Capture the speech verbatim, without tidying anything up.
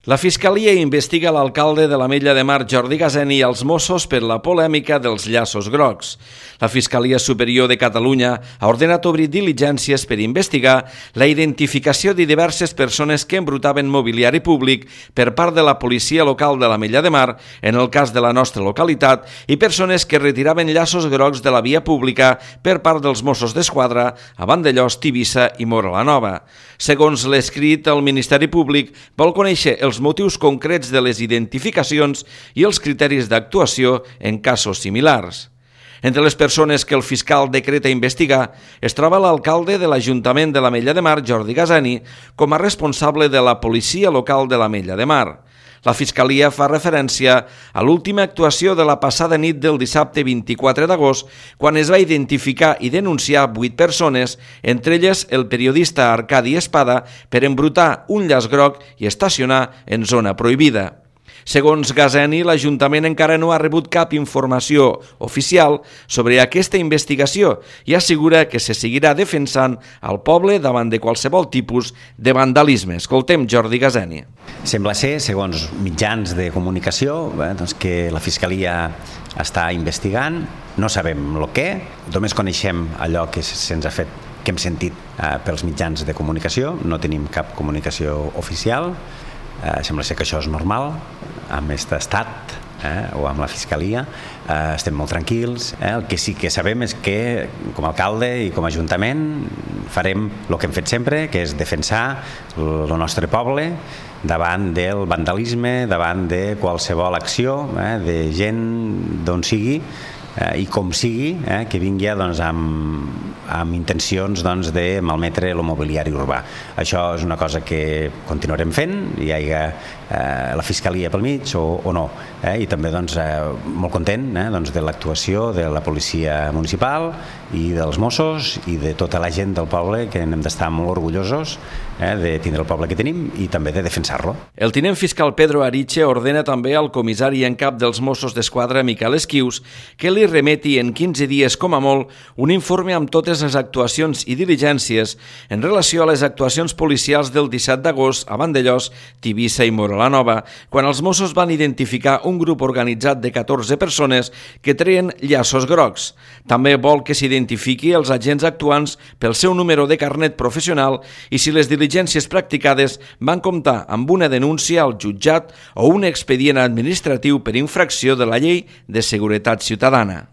La Fiscalia investiga l'alcalde de l'Ametlla de Mar, Jordi Gaseni, i els Mossos per la polèmica dels llaços grocs. La Fiscalia Superior de Catalunya ha ordenat obrir diligències per investigar la identificació de diverses persones que embrutaven mobiliari públic per part de la policia local de l'Ametlla de Mar, en el cas de la nostra localitat, i persones que retiraven llaços grocs de la via pública per part dels Mossos d'Esquadra a Vandellòs, Tivissa i Móra la Nova. Segons l'escrit, el Ministeri Públic vol conèixer els motius concrets de les identificacions i els criteris d'actuació en casos similars. Entre les persones que el fiscal decreta investigar es troba l'alcalde de l'Ajuntament de l'Ametlla de Mar, Jordi Gaseni, com a responsable de la policia local de l'Ametlla de Mar. La Fiscalia fa referència a l'última actuació de la passada nit del dissabte vint-i-quatre d'agost, quan es va identificar i denunciar vuit persones, entre elles el periodista Arcadi Espada, per embrutar un llaç groc i estacionar en zona prohibida. Segons Gaseni, l'Ajuntament encara no ha rebut cap informació oficial sobre aquesta investigació i assegura que se seguirà defensant el poble davant de qualsevol tipus de vandalisme. Escoltem Jordi Gaseni. Sembla ser, segons mitjans de comunicació, eh, doncs que la Fiscalia està investigant, no sabem el què, només coneixem allò que se'ns ha fet, que hem sentit eh, pels mitjans de comunicació, no tenim cap comunicació oficial. Eh, sembla ser que això és normal amb aquest estat eh, o amb la Fiscalia. Eh, estem molt tranquils. Eh? El que sí que sabem és que com a alcalde i com a ajuntament farem el que hem fet sempre, que és defensar el nostre poble davant del vandalisme, davant de qualsevol acció eh, de gent d'on sigui eh, i com sigui, eh, que vingui doncs, amb, amb intencions doncs, de malmetre el mobiliari urbà. Això és una cosa que continuarem fent, hi hagi eh, la Fiscalia pel mig o, o no. Eh? I també doncs, eh, molt content eh, doncs, de l'actuació de la policia municipal i dels Mossos i de tota la gent del poble, que hem d'estar molt orgullosos eh, de tindre el poble que tenim i també de defensar-lo. El tinent fiscal Pedro Ariche ordena també al comissari en cap dels Mossos d'Esquadra, Miquel Esquius, que li remeti en quinze dies com a molt un informe amb totes les actuacions i diligències en relació a les actuacions policials del disset d'agost a Vandellòs, Tivissa i Móra la Nova, quan els Mossos van identificar un grup organitzat de catorze persones que treien llaços grocs. També vol que s'identifiqui els agents actuants pel seu número de carnet professional i si les diligències practicades van comptar amb una denúncia al jutjat o un expedient administratiu per infracció de la llei de seguretat ciutadana.